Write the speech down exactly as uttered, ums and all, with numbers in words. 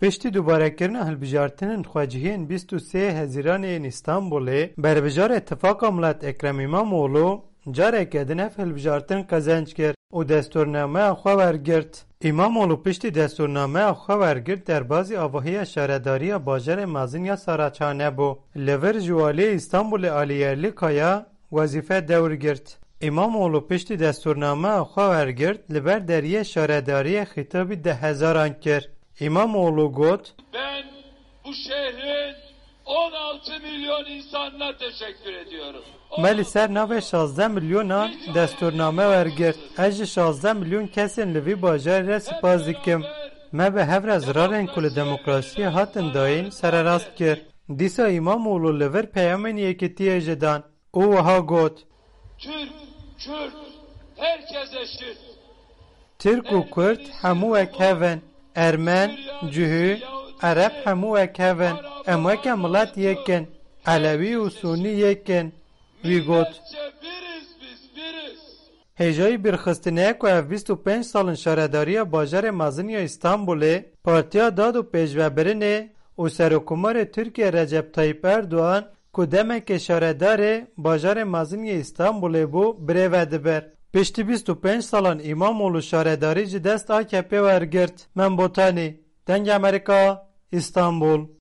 Piştî dubarekirina hilbijartinên xwecihiyên bîst û sê Hezîranê yên Îstanbulê, berbijarê Tifaqa Milet Ekrem Îmamoğlu careke din ev hilbijartin qezenc kir û destûrnameya xwe wergirt. Îmamoğlu piştî destûrnameya xwe wergirt derbazî avahiya şaredariya bajarê mezin ya Saraçhane bû. Li vir ji waliyê Îstanbulê Alî Yerlîkaya wezîfe dewr girt. Îmamoğlu piştî destûrnameya xwe wergirt, li ber deriyê şaredariyê xîtabî deh hezaran kir. Îmamoğlu got, Ben bu şehrin on altı milyon insanına teşekkür ediyorum. Me li ser navê şazdeh milyonan destûrname wergirt. Ez ji şazdeh milyon kesên li vî bajarê re spas dikim. Me bi hev re zirarên ku li demokrasiyê hatin dayîn sererast kir. Dîsa Îmamoğlu li vir peyamên yekitiyê jî dan û wiha got, Türk, Kürt, herkes eşit. Tirk û Kurd hemû wek hev in. Ermen, Cihû, Ereb hemû wek hev in. Em weke milet yek in. Elewî û Sûnî yek in. Wî got. Milletçe biriz biz, biriz. Hêjayî bîrxistinê ye ku ev bîst û pênc sal in şaredariya bajarê mezin ya Îstanbulê, Partiya Dad û Pêşvebirinê û Serokkomarê Tirkiye Recep Tayyip Erdogan ku demekê şaredarê bajarê mezin yê Îstanbulê bû, birêve dibir. Piştî bîst û pênc salan Îmamoğlu şaredarî ji dest A K P wergirt. Mem Botanî, Dengê Amerîka, Îstanbul.